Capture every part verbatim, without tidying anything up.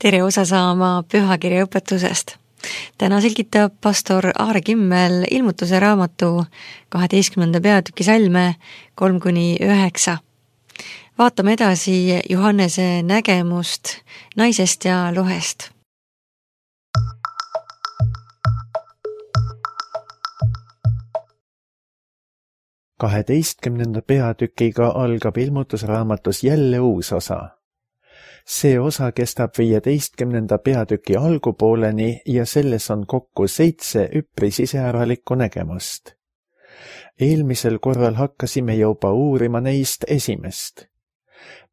tere osa saama pühakirja õpetusest. Täna selgitab pastor Aare Kimmel ilmutuse raamatu kaheteistkümnenda peatüki salme kolm kuni üheksa. Vaatame edasi Johannese nägemust naisest ja lohest. kaheteistkümnenda peatükiga algab ilmutusraamatus jälle uus osa. See osa kestab viieteistkümnenda peatüki algupooleni ja selles on kokku seitse üpris iseäralikku nägemust. Eelmisel korral hakkasime juba uurima neist esimest.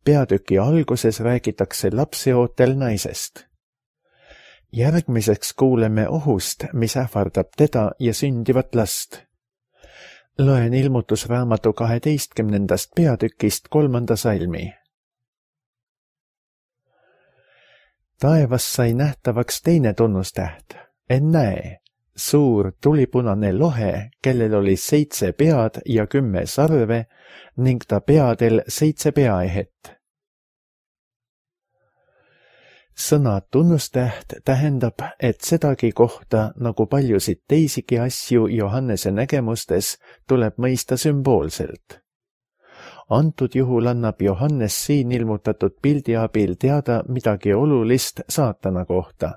Peatüki alguses räägitakse lapseootel naisest. Järgmiseks kuuleme ohust, mis ähvardab teda ja sündivat last. Loen ilmutusraamatu kaheteistkümnendast peatükist kolmanda salmi. Taevas sai nähtavaks teine tunnustäht. En näe, suur tulipunane lohe, kellel oli seitse pead ja kümme sarve ning ta peadel seitse peaehet. Sõna tunnustäht tähendab, et sedagi kohta, nagu paljusid teisigi asju Johannese nägemustes, tuleb mõista sümboolselt. Antud juhul annab Johannes siin ilmutatud pildi abil teada midagi olulist saatana kohta.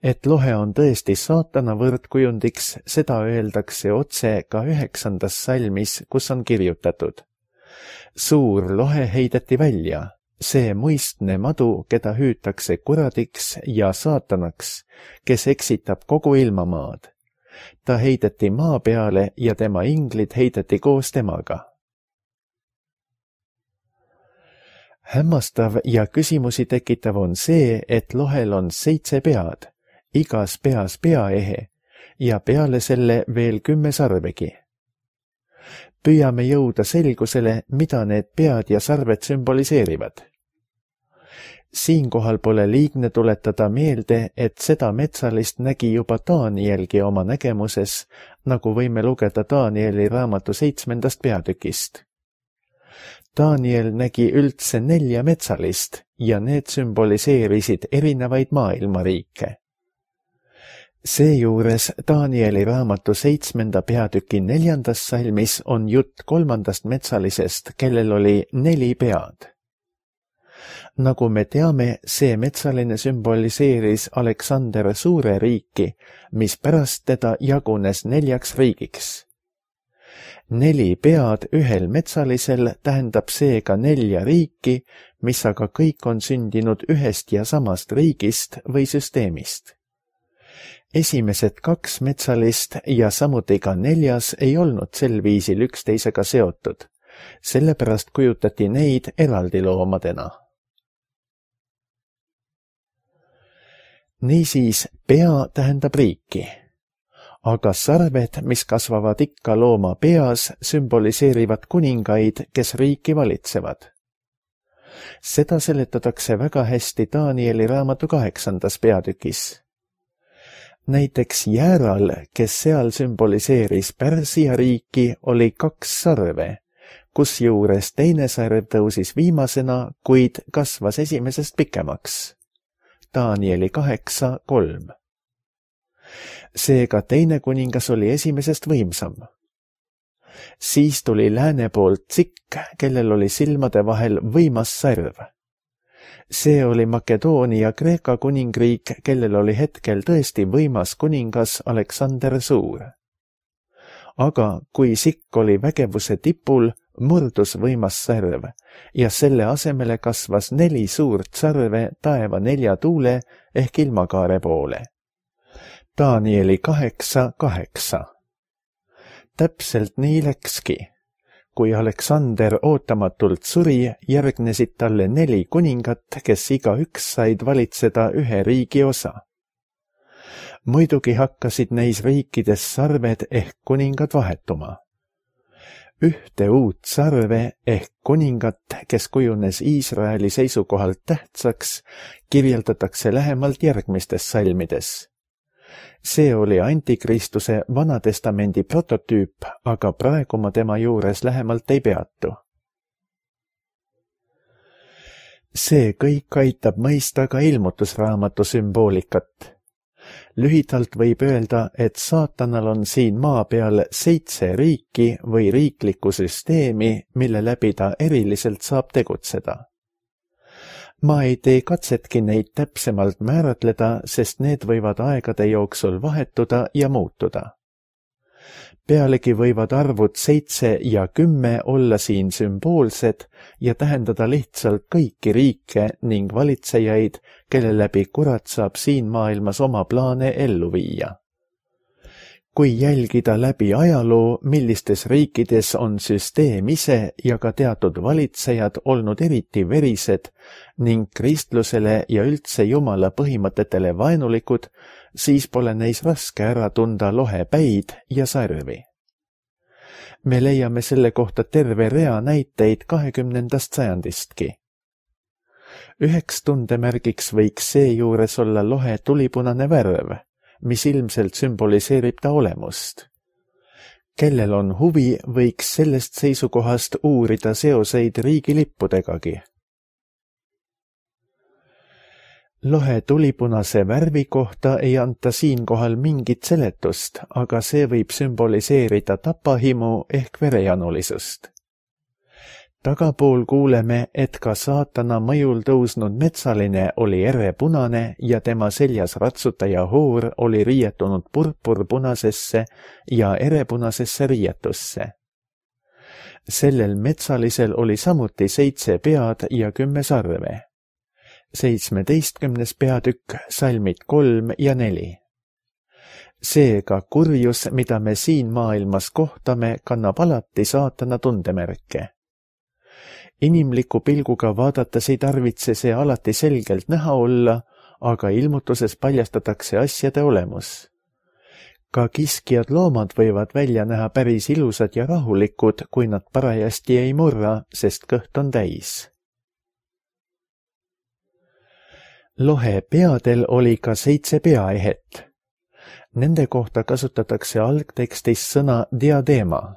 Et lohe on tõesti saatana võrdkujundiks, seda öeldakse otse ka üheksandas salmis, kus on kirjutatud. Suur lohe heideti välja. See muistne madu, keda hüütakse kuradiks ja saatanaks, kes eksitab kogu ilmamaad. Ta heideti maa peale ja tema inglid heideti koos temaga. Hämmastav ja küsimusi tekitav on see, et lohel on seitse pead, igas peas peaehe ja peale selle veel kümme sarvegi. Püüame jõuda selgusele, mida need pead ja sarved sümboliseerivad. Siinkohal pole liigne tuletada meelde, et seda metsalist nägi juba Danielgi oma nägemuses, nagu võime lugeda Danieli raamatu seitsmendast peatükist. Daniel nägi üldse nelja metsalist ja need sümboliseerisid erinevaid maailmariike. Seejuures Danieli raamatu seitsmenda peatüki neljandas salmis on jutt kolmandast metsalisest, kellel oli neli pead. Nagu me teame, see metsaline sümboliseeris Aleksander Suure riiki, mis pärast teda jagunes neljaks riigiks. Neli pead ühel metsalisel tähendab seega nelja riiki, mis aga kõik on sündinud ühest ja samast riigist või süsteemist. Esimesed kaks metsalist ja samuti ka neljas ei olnud sel viisil üksteisega seotud, sellepärast kujutati neid eraldi loomadena. Niisiis, pea tähendab riiki, aga sarved, mis kasvavad ikka looma peas, sümboliseerivad kuningaid, kes riiki valitsevad. Seda seletatakse väga hästi Danieli raamatu kaheksandas peatükis. Näiteks Jääral, kes seal sümboliseeris Pärsia riiki, oli kaks sarve, kusjuures teine sarv tõusis viimasena, kuid kasvas esimesest pikemaks. Danieli kaheksa kolm. Seega teine kuningas oli esimesest võimsam. Siis tuli lääne poolt Tsikk, kellel oli silmade vahel võimas sarv. See oli Makedoonia Kreeka kuningriik, kellel oli hetkel tõesti võimas kuningas Aleksander Suur. Aga kui Sikk oli vägevuse tipul, murdus võimas sarv ja selle asemele kasvas neli suurt sarve taeva nelja tuule ehk ilmakaare poole. Danieli kaheksa kaheksa. Täpselt nii läkski. Kui Aleksander ootamatult suri, järgnesid talle neli kuningat, kes igaüks said valitseda ühe riigi osa. Muidugi hakkasid neis riikides sarved ehk kuningad vahetuma. Ühte uut sarve ehk kuningat, kes kujunes Iisraeli seisukohalt tähtsaks, kirjeldatakse lähemalt järgmistes salmides. See oli Antikristuse Vanatestamendi prototüüp, aga praegu ma tema juures lähemalt ei peatu. see kõik aitab mõista ka ilmutusraamatu sümboolikat. Lühidalt võib öelda, et saatanal on siin maa peal seitse riiki või riiklikku süsteemi, mille läbi ta eriliselt saab tegutseda. Ma ei tee katsetki neid täpsemalt määratleda, sest need võivad aegade jooksul vahetuda ja muutuda. Pealegi võivad arvud seitse ja kümme olla siin sümboolsed ja tähendada lihtsalt kõiki riike ning valitsejaid, kelle läbi kurat saab siin maailmas oma plaane ellu viia. Kui jälgida läbi ajaloo, millistes riikides on süsteem ise ja ka teatud valitsejad olnud eriti verised ning kristlusele ja üldse Jumala põhimõtetele vaenulikud, siis pole neis raske ära tunda lohepäid ja sarvi. Me leiame selle kohta terve rea näiteid kahekümnendast sajandistki. Üheks tundemärgiks võiks seejuures olla lohe tulipunane värv, mis ilmselt sümboliseerib ta olemust. Kellel on huvi, võiks sellest seisukohast uurida seoseid riigilippudegagi. Lohe tulipunase värvi kohta ei anta siinkohal mingit seletust, aga see võib sümboliseerida tapahimu ehk verejanulisust. Tagapool kuuleme, et ka saatana mõjul tõusnud metsaline oli erepunane ja tema seljas ratsutaja hoor oli riietunud purpurpunasesse ja erepunasesse riietusse. Sellel metsalisel oli samuti seitse pead ja kümme sarve. seitsmeteistkümnes peatükk, salmid kolm ja neli. Seega kurjus, mida me siin maailmas kohtame, kannab alati saatana tundemärke. Inimliku pilguga vaadates ei tarvitse see alati selgelt näha olla, aga ilmutuses paljastatakse asjade olemus. Ka kiskjad loomad võivad välja näha päris ilusad ja rahulikud, kui nad parajasti ei murra, sest kõht on täis. Lohe peadel oli ka seitse peaehet. Nende kohta kasutatakse algtekstis sõna diadeema.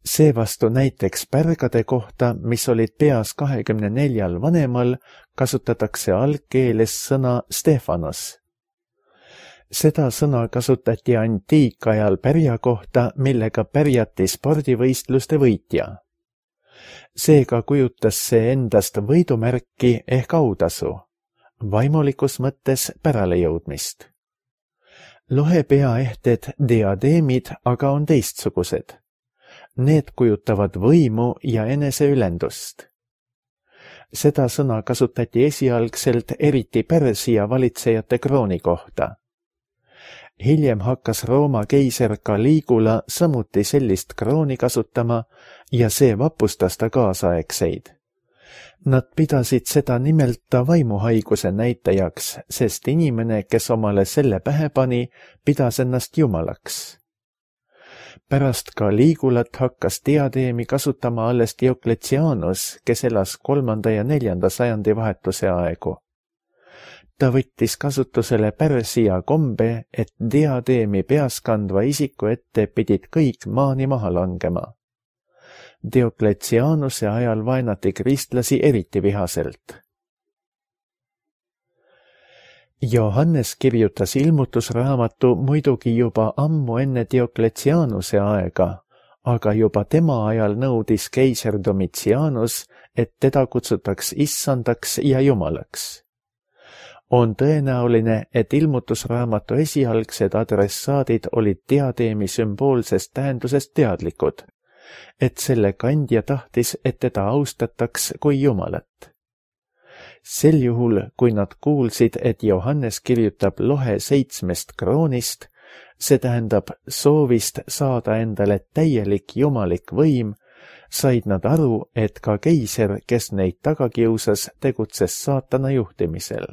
Seevastu näiteks pärgade kohta, mis olid peas kahekümne neljal vanemal, kasutatakse algkeeles sõna Stefanos. Seda sõna kasutati antiikajal pärja kohta, millega pärjati spordivõistluste võitja. Seega kujutas see endast võidumärki ehk autasu, vaimulikus mõttes päralejõudmist. Lohe peaehted diadeemid aga on teistsugused. Need kujutavad võimu ja eneseülendust. Seda sõna kasutati esialgselt eriti Pärsia valitsejate krooni kohta. Hiljem hakkas Rooma keiser Caligula samuti sellist krooni kasutama ja see vapustas ta kaasaegseid. Nad pidasid seda nimelta vaimuhaiguse näitajaks, sest inimene, kes omale selle pähe pani, pidas ennast jumalaks. Pärast Caligulat hakkas diadeemi kasutama alles Diocletianus, kes elas kolmanda ja neljanda sajandi vahetuse aegu. Ta võttis kasutusele Pärsia kombe, et diadeemi peas kandva isiku ette pidid kõik maani maha langema. Diocletianuse ajal vaenati kristlasi eriti vihaselt. Johannes kirjutas ilmutusraamatu muidugi juba ammu enne Diocletianuse aega, aga juba tema ajal nõudis keiser Domitianus, et teda kutsutaks issandaks ja jumalaks. On tõenäoline, et ilmutusraamatu esialgsed adressaadid olid diadeemi sümboolsest tähendusest teadlikud, et selle kandja tahtis, et teda austataks kui jumalat. Sel juhul, kui nad kuulsid, et Johannes kirjutab lohe seitsmest kroonist, see tähendab soovist saada endale täielik jumalik võim, said nad aru, et ka keiser, kes neid taga kiusas, tegutses saatana juhtimisel.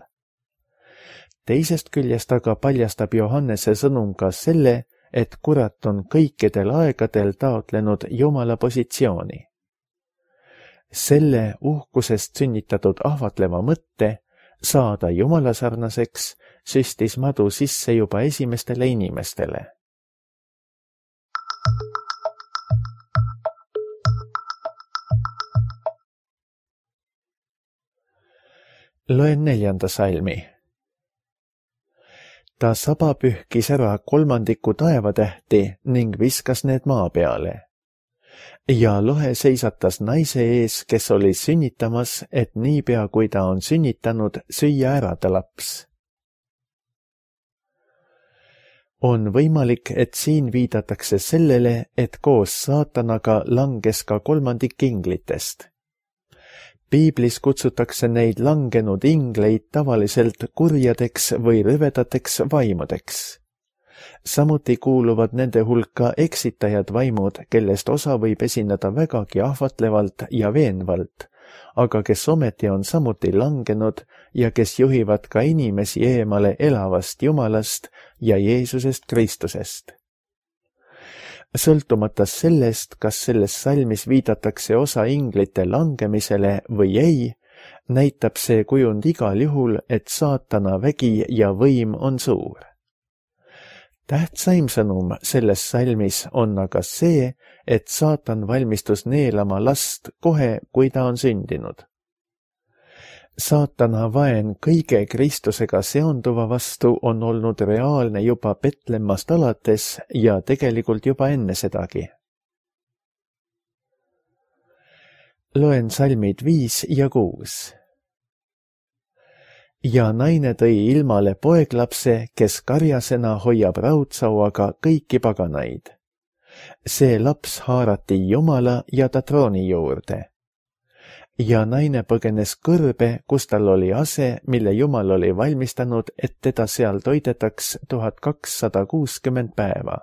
Teisest küljest aga paljastab Johannese sõnum ka selle, et kurat on kõikidel aegadel taotlenud Jumala positsiooni. Selle uhkusest sünnitatud ahvatleva mõtte saada jumalasarnaseks süstis madu sisse juba esimestele inimestele. Loen neljanda salmi. Ta saba pühkis ära kolmandiku taevatähti ning viskas need maa peale. Ja lohe seisatas naise ees, kes oli sünnitamas, et niipea kui ta on sünnitanud, süüa ära ta laps. On võimalik, et siin viidatakse sellele, et koos saatanaga langes ka kolmandik inglitest. Piiblis kutsutakse neid langenud ingleid tavaliselt kurjadeks või rõvedateks vaimudeks. Samuti kuuluvad nende hulka eksitajad vaimud, kellest osa võib esineda vägagi ahvatlevalt ja veenvalt, aga kes ometi on samuti langenud ja kes juhivad ka inimesi eemale elavast Jumalast ja Jeesusest Kristusest. Sõltumata sellest, kas selles salmis viidatakse osa inglite langemisele või ei, näitab see kujund igal juhul, et saatana vägi ja võim on suur. Tähtsaim sõnum selles salmis on aga see, et saatan valmistus neelama last kohe, kui ta on sündinud. Saatana vaen kõige Kristusega seonduva vastu on olnud reaalne juba Betlemmast alates ja tegelikult juba enne sedagi. Loen salmid viis ja kuus. Ja naine tõi ilmale poeglapse, kes karjasena hoiab raudsauaga kõiki paganaid. See laps haarati Jumala ja ta trooni juurde. Ja naine põgenes kõrbe, kus tal oli ase, mille Jumal oli valmistanud, et teda seal toidetaks tuhat kakssada kuuskümmend päeva.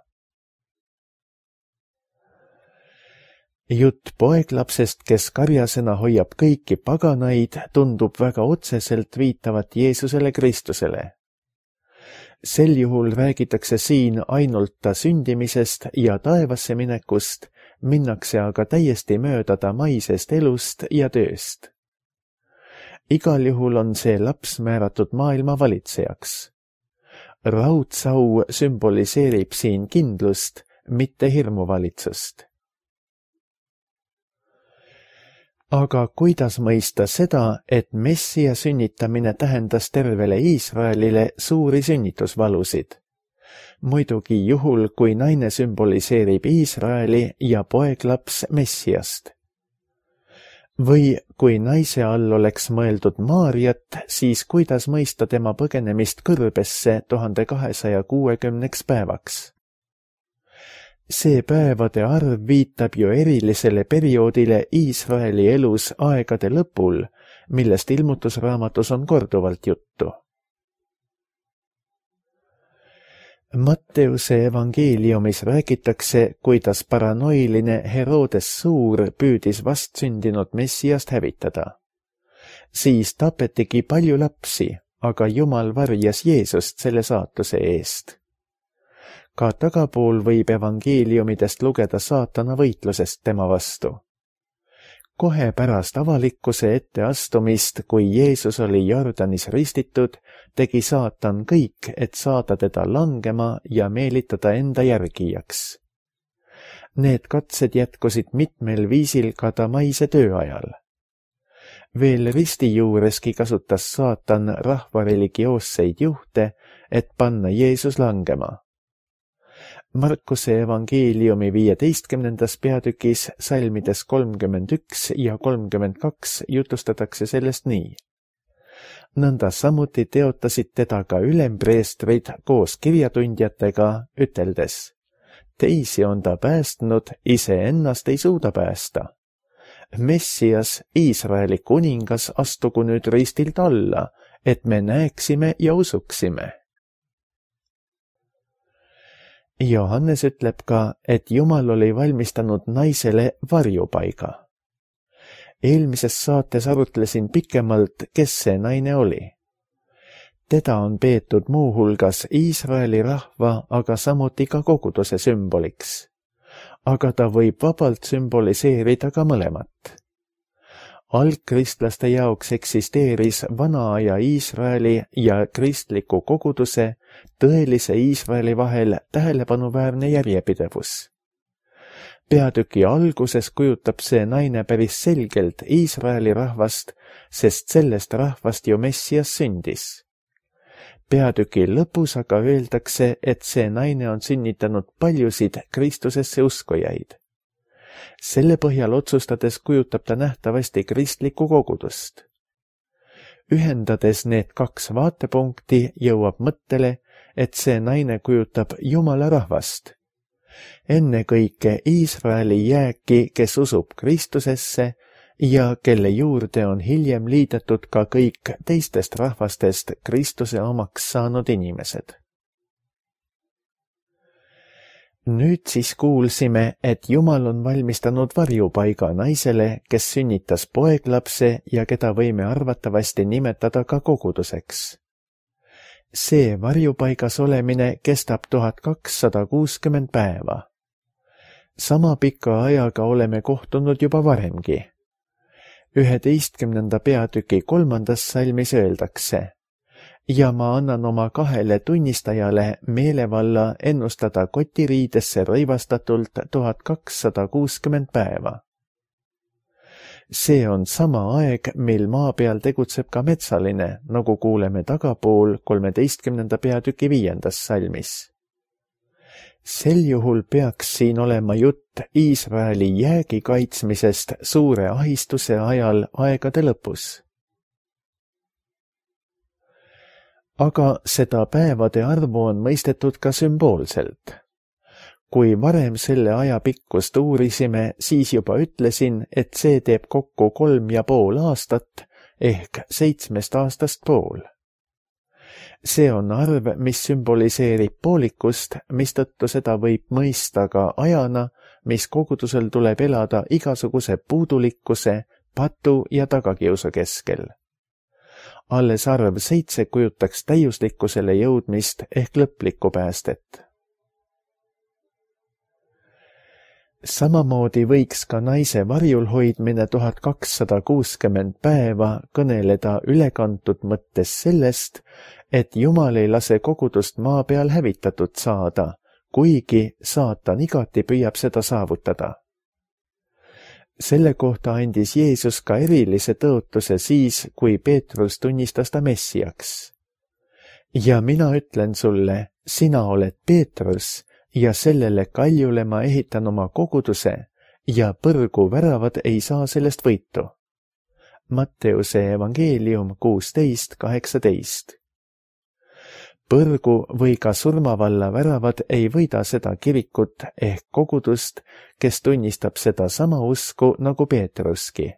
Jutt poeglapsest, kes karjasena hoiab kõiki paganaid, tundub väga otseselt viitavat Jeesusele Kristusele. Sel juhul räägitakse siin ainult ta sündimisest ja taevasse minekust, minnakse aga täiesti mööda ta maisest elust ja tööst. Igal juhul on see laps määratud maailma valitsejaks. Raudsau sümboliseerib siin kindlust, mitte hirmuvalitsust. Aga kuidas mõista seda, et Messia sünnitamine tähendas tervele Iisraelile suuri sünnitusvalusid? Muidugi juhul, kui naine sümboliseerib Iisraeli ja poeglaps Messiast. Või kui naise all oleks mõeldud Maarjat, siis kuidas mõista tema põgenemist kõrbesse tuhande kahesaja kuuekümneks päevaks? See päevade arv viitab ju erilisele perioodile Iisraeli elus aegade lõpul, millest ilmutusraamatus on korduvalt juttu. Matteuse evangeeliumis räägitakse, kuidas paranoiline Herodes Suur püüdis vastsündinud Messiast hävitada. Siis tapetigi palju lapsi, aga Jumal varjas Jeesust selle saatuse eest. Ka tagapool võib evangeeliumidest lugeda saatana võitlusest tema vastu. Kohe pärast avalikkuse etteastumist, kui Jeesus oli Jordanis ristitud, tegi saatan kõik, et saada teda langema ja meelitada enda järgijaks. Need katsed jätkusid mitmel viisil ka ta maise tööajal. Veel risti juureski kasutas saatan rahva religioosseid juhte, et panna Jeesus langema. Markuse evangeeliumi viieteistkümnendas peatükis salmides kolmkümmend üks ja kolmkümmend kaks jutustatakse sellest nii. Nõnda samuti teotasid teda ka ülempreestrid koos kirjatundjatega, üteldes: teisi on ta päästnud, iseennast ei suuda päästa. Messias, Iisraeli kuningas, astugu nüüd ristilt alla, et me näeksime ja usuksime. Johannes ütleb ka, et Jumal oli valmistanud naisele varjupaiga. Eelmises saates arutlesin pikemalt, kes see naine oli. Teda on peetud muuhulgas Iisraeli rahva, aga samuti ka koguduse sümboliks. Aga ta võib vabalt sümboliseerida ka mõlemat. Algkristlaste jaoks eksisteeris vana aja Iisraeli ja kristliku koguduse, tõelise Iisraeli vahel tähelepanuväärne järjepidevus. peatüki alguses kujutab see naine päris selgelt Iisraeli rahvast, sest sellest rahvast ju Messias sündis. Peatüki lõpus aga öeldakse, et see naine on sünnitanud paljusid Kristusesse uskujaid. Selle põhjal otsustades kujutab ta nähtavasti kristlikku kogudust. Ühendades need kaks vaatepunkti jõuab mõttele, et see naine kujutab Jumala rahvast. Ennekõike Iisraeli jääki, kes usub Kristusesse ja kelle juurde on hiljem liidetud ka kõik teistest rahvastest Kristuse omaks saanud inimesed. Nüüd siis kuulsime, et Jumal on valmistanud varjupaiga naisele, kes sünnitas poeglapse ja keda võime arvatavasti nimetada ka koguduseks. See varjupaigas olemine kestab tuhat kakssada kuuskümmend päeva. Sama pika ajaga oleme kohtunud juba varemgi. üheteistkümnenda peatüki kolmandas salmis öeldakse: ja ma annan oma kahele tunnistajale meelevalla ennustada kotiriidesse rõivastatult tuhat kakssada kuuskümmend päeva. See on sama aeg, mil maa peal tegutseb ka metsaline, nagu kuuleme tagapool kolmeteistkümnenda peatüki viiendas salmis. Sel juhul peaks siin olema jutt Iisraeli jäägi kaitsmisest suure ahistuse ajal aegade lõpus. Aga seda päevade arvu on mõistetud ka sümboolselt. Kui varem selle aja pikkust uurisime, siis juba ütlesin, et see teeb kokku kolm ja pool aastat ehk seitsmest aastast pool. See on arv, mis sümboliseerib poolikust, mistõttu seda võib mõista ka ajana, mis kogudusel tuleb elada igasuguse puudulikkuse, patu ja tagakiusu keskel. Alles arv seitse kujutaks täiuslikkusele jõudmist ehk lõplikku päästet. Samamoodi võiks ka naise varjul hoidmine tuhat kakssada kuuskümmend päeva kõneleda ülekantud mõttes sellest, et Jumal ei lase kogudust maa peal hävitatud saada, kuigi saatan igati püüab seda saavutada. Selle kohta andis Jeesus ka erilise tõotuse siis, kui Peetrus tunnistas ta Messiaks. Ja mina ütlen sulle, sina oled Peetrus, ja sellele kaljule ma ehitan oma koguduse ja põrgu väravad ei saa sellest võitu. Matteuse evangeelium kuusteist kaheksateist. Põrgu või ka surmavalla väravad ei võida seda kirikut ehk kogudust, kes tunnistab seda sama usku nagu Peetruski.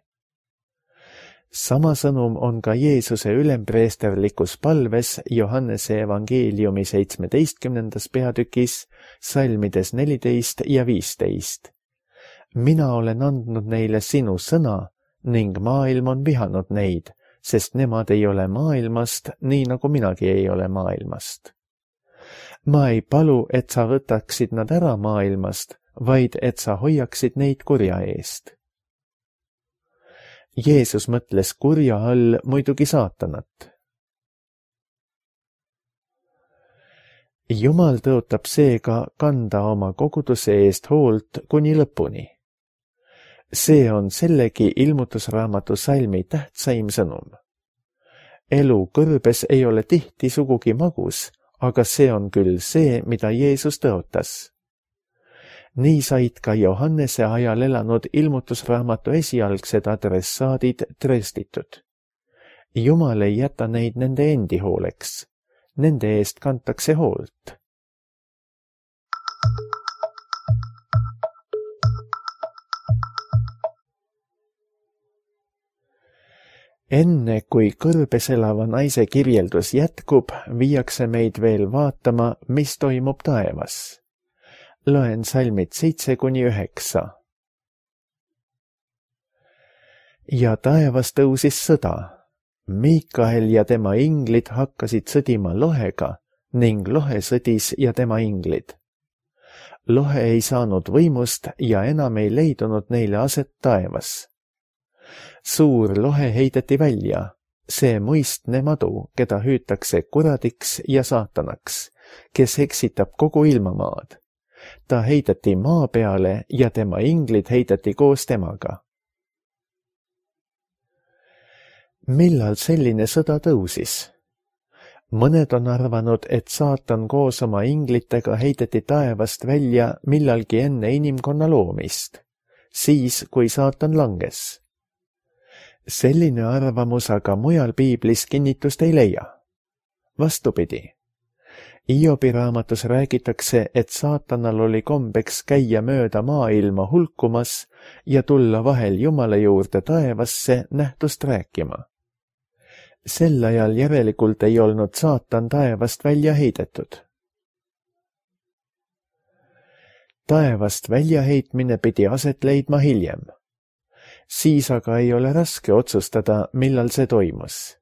Sama sõnum on ka Jeesuse ülempreesterlikus palves Johannese evangeeliumi seitsmeteistkümnendas peatükis, salmides neliteist ja viisteist. Mina olen andnud neile sinu sõna ning maailm on vihanud neid, sest nemad ei ole maailmast, nii nagu minagi ei ole maailmast. Ma ei palu, et sa võtaksid nad ära maailmast, vaid et sa hoiaksid neid kurja eest. Jeesus mõtles kurja all muidugi saatanat. Jumal tõotab seega kanda oma koguduse eest hoolt kuni lõpuni. See on sellegi ilmutusraamatu salmi tähtsaim sõnum. Elu kõrbes ei ole tihti sugugi magus, aga see on küll see, mida Jeesus tõotas. Nii said ka Johannese ajal elanud ilmutusraamatu esialgsed adressaadid trööstitud. Jumal ei jäta neid nende endi hooleks. Nende eest kantakse hoolt. Enne kui kõrbes elava naise kirjeldus jätkub, viiakse meid veel vaatama, mis toimub taevas. Loen salmid seitse kuni üheksa. Ja taevas tõusis sõda. Miikael ja tema inglid hakkasid sõdima lohega ning lohe sõdis ja tema inglid. Lohe ei saanud võimust ja enam ei leidunud neile aset taevas. Suur lohe heideti välja, see muistne madu, keda hüütakse kuradiks ja saatanaks, kes eksitab kogu ilmamaad. ta heideti maa peale ja tema inglid heideti koos temaga. Millal selline sõda tõusis? Mõned on arvanud, et saatan koos oma inglitega heideti taevast välja millalgi enne inimkonna loomist, siis kui saatan langes. Selline arvamus aga mujal piiblis kinnitust ei leia. Vastupidi. Hiobi raamatus räägitakse, et saatanal oli kombeks käia mööda maailma hulkumas ja tulla vahel Jumala juurde taevasse nähtust rääkima. Sel ajal järelikult ei olnud saatan taevast välja heidetud. Taevast väljaheitmine pidi aset leidma hiljem. Siis aga ei ole raske otsustada, millal see toimus.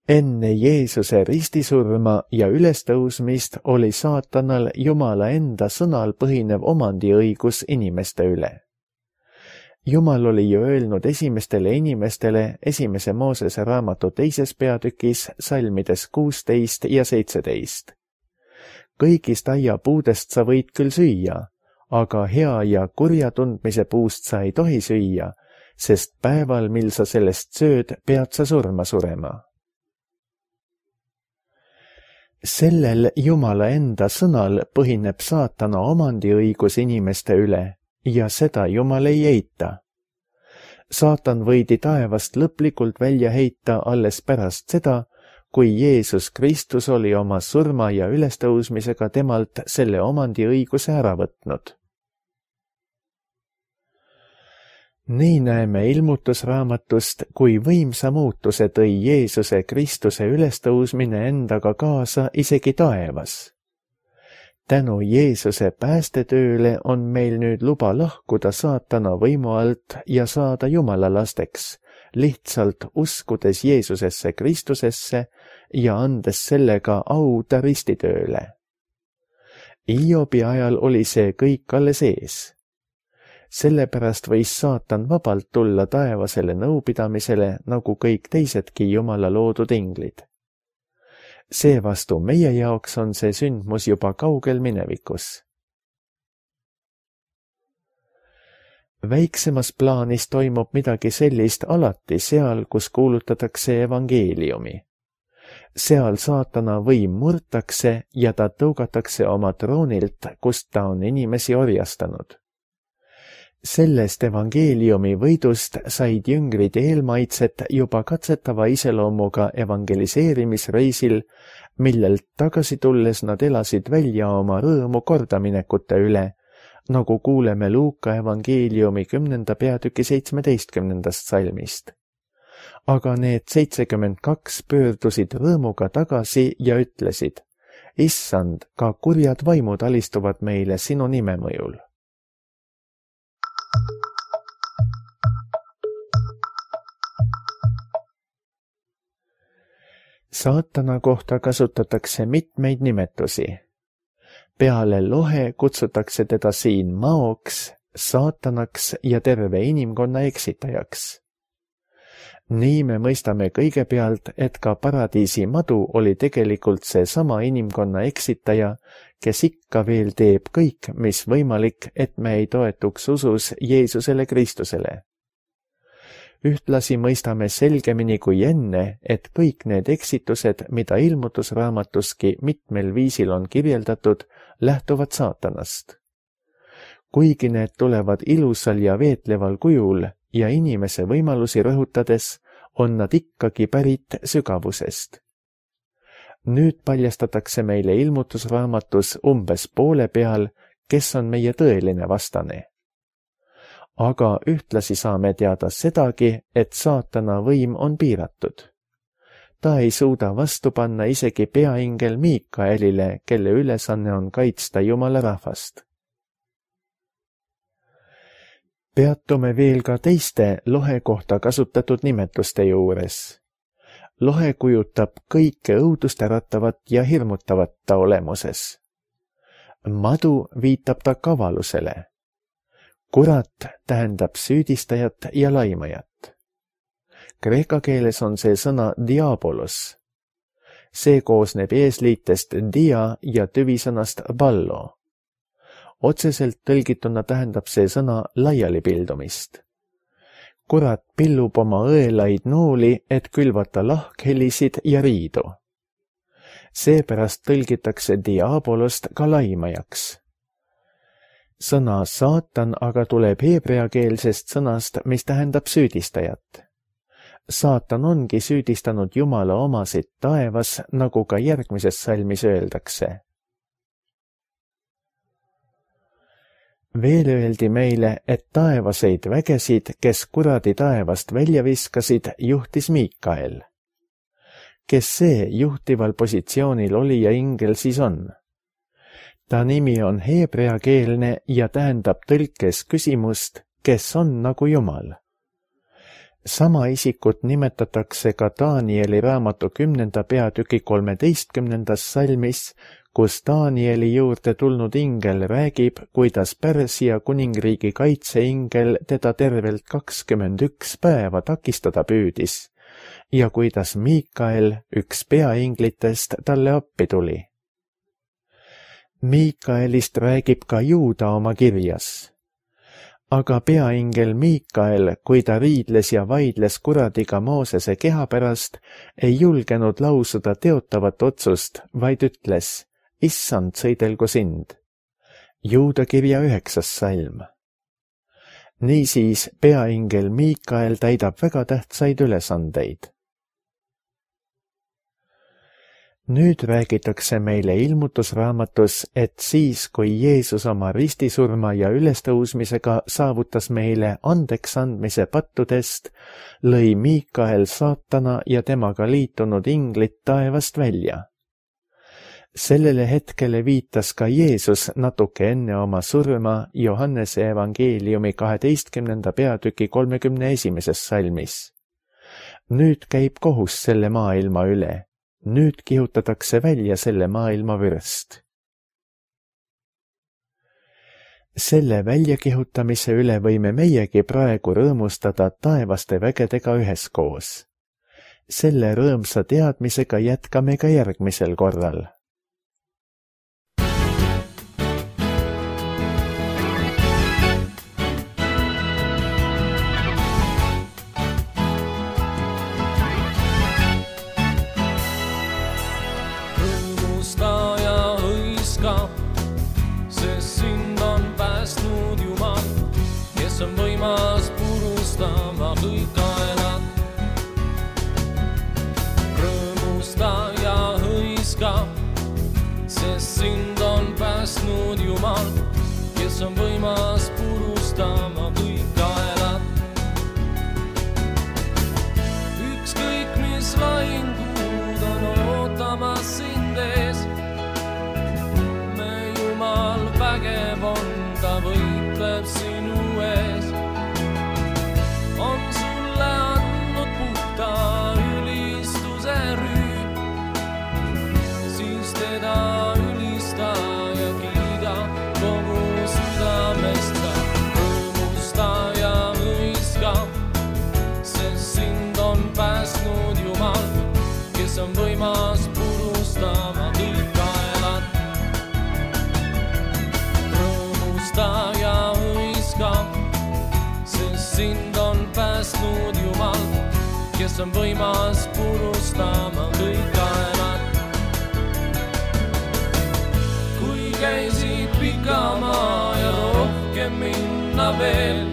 Enne Jeesuse ristisurma ja ülestõusmist oli saatanal Jumala enda sõnal põhinev omandiõigus inimeste üle. Jumal oli ju öelnud esimestele inimestele esimese Moosese raamatu teises peatükis salmides kuusteist ja seitseteist. Kõigist aiapuudest sa võid küll süüa, aga hea ja kurja tundmise puust sa ei tohi süüa, sest päeval, mil sa sellest sööd, pead sa surma surema. Sellel Jumala enda sõnal põhineb saatana omandiõigus inimeste üle ja seda Jumal ei eita. Saatan võidi taevast lõplikult välja heita alles pärast seda, kui Jeesus Kristus oli oma surma ja ülestõusmisega temalt selle omandiõiguse ära võtnud. Nii näeme ilmutusraamatust, kui võimsa muutuse tõi Jeesuse Kristuse ülestõusmine endaga kaasa isegi taevas. Tänu Jeesuse päästetööle on meil nüüd luba lahkuda saatana võimu alt ja saada Jumala lasteks, lihtsalt uskudes Jeesusesse Kristusesse ja andes sellega au ta ristitööle. Hiobi ajal oli see kõik alles ees. Sellepärast võis saatan vabalt tulla taevasele nõupidamisele nagu kõik teisedki Jumala loodud inglid. Seevastu meie jaoks on see sündmus juba kaugel minevikus. Väiksemas plaanis toimub midagi sellist alati seal, kus kuulutatakse evangeeliumi. Seal saatana võim murtakse ja ta tõugatakse oma troonilt, kust ta on inimesi orjastanud. Sellest evangeeliumi võidust said jüngrid eelmaitset juba katsetava iseloomuga evangeliseerimisreisil, millelt tagasi tulles nad elasid välja oma rõõmu kordaminekute üle, nagu kuuleme Luuka evangeeliumi kümnenda peatüki seitsmeteistkümnendast salmist. Aga need seitsekümmend kaks pöördusid rõõmuga tagasi ja ütlesid, Issand, ka kurjad vaimud alistuvad meile sinu nime mõjul. Saatana kohta kasutatakse mitmeid nimetusi. Peale lohe kutsutakse teda siin maoks, saatanaks ja terve inimkonna eksitajaks. Nii me mõistame kõigepealt, et ka paradiisi madu oli tegelikult see sama inimkonna eksitaja, kes ikka veel teeb kõik, mis võimalik, et me ei toetuks usus Jeesusele Kristusele. Ühtlasi mõistame selgemini kui enne, et kõik need eksitused, mida ilmutusraamatuski mitmel viisil on kirjeldatud, lähtuvad saatanast. Kuigi need tulevad ilusal ja veetleval kujul ja inimese võimalusi rõhutades, on nad ikkagi pärit sügavusest. Nüüd paljastatakse meile ilmutusraamatus umbes poole peal, kes on meie tõeline vastane. Aga ühtlasi saame teada sedagi, et saatana võim on piiratud. Ta ei suuda vastu panna isegi peaingel Miikaelile, kelle ülesanne on kaitsta Jumala rahvast. Peatume veel ka teiste lohe kohta kasutatud nimetuste juures. Lohe kujutab kõike õudust äratavat ja hirmutavat ta olemuses. Madu viitab ta kavalusele. Kurat tähendab süüdistajat ja laimajat. Kreeka keeles on see sõna diabolos. See koosneb eesliitest dia ja tüvisõnast ballo. otseselt tõlgituna tähendab see sõna laialipildumist. Kurat pillub oma õelaid nooli, et külvata lahkhelisid ja riidu. Seepärast tõlgitakse diabolost ka laimajaks. Sõna saatan aga tuleb heebreakeelsest sõnast, mis tähendab süüdistajat. Saatan ongi süüdistanud Jumala omasid taevas, nagu ka järgmises salmis öeldakse. Veel öeldi meile, et taevaseid vägesid, kes kuradi taevast välja viskasid, juhtis Miikael. Kes see juhtival positsioonil oli ja ingel siis on? Ta nimi on heebreakeelne ja tähendab tõlkes küsimust, kes on nagu Jumal. Sama isikut nimetatakse ka Danieli raamatu kümnenda peatüki kolmeteistkümnendas salmis, kus Danieli juurde tulnud ingel räägib, kuidas Pärsia kuningriigi kaitseingel teda tervelt kakskümmend üks päeva takistada püüdis ja kuidas Miikael, üks peainglitest, talle appi tuli. Miikaelist räägib ka Juuda oma kirjas. Aga peaingel Miikael, kui ta riidles ja vaidles kuradiga Moosese keha pärast, ei julgenud lausuda teotavat otsust, vaid ütles, issand, sõidelgu sind. Juuda kirja üheksas salm. Niisiis peaingel Miikael täidab väga tähtsaid ülesandeid. Nüüd räägitakse meile ilmutusraamatus, et siis, kui Jeesus oma ristisurma ja ülestõusmisega saavutas meile andeks andmise pattudest, lõi Miikael saatana ja temaga liitunud inglit taevast välja. Sellele hetkele viitas ka Jeesus natuke enne oma surma Johannese evangeeliumi kaheteistkümnenda peatüki kolmekümne esimeses salmis. Nüüd käib kohus selle maailma üle. Nüüd kihutatakse välja selle maailma vürst. Selle väljakihutamise üle võime meiegi praegu rõõmustada taevaste vägedega üheskoos. Selle rõõmsa teadmisega jätkame ka järgmisel korral. Sest sind on päästnud Jumal, kes on võimas purustama kõik aelad. Rõõmusta ja hõiska, sest sind on päästnud Jumal, kes on võimas purustama kõik aelad. Ükskõik mis lahingud on ootamas sind ees, Jumal vägev on, ta võitleb sinu ees. On sulle andnud puhta ülistuse rüüm, siis teda ülista ja kiida kogu südamest sa. Rõõmusta ja hõiska, sest sind on päästnud Jumal, kes on võimas purustama kõik aelad. Ja hõiska, sest sind on päästnud Jumal, kes on võimas purustama kõik aelad. Kui käisid pika maa ja rohkem minna veel,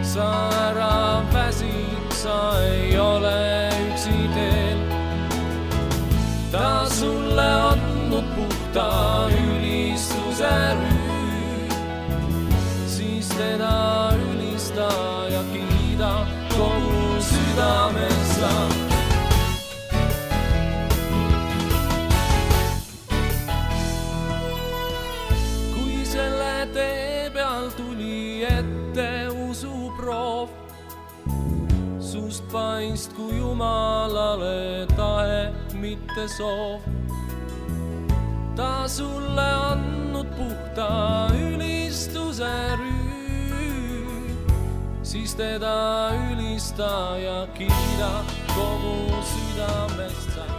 sa ära väsid, sa ei ole üksi teel. Ta sulle andnud puhta ülistuse rüüm, teda ülista ja kiida kogu südamest sa. Kui selle tee peal tuli ette usuproov, sust paistku Jumalale tahe, mitte soov. Ta sulle andnud puhta ülistuse rüüm, siis teda ülista ja kiida kogu südamest sa.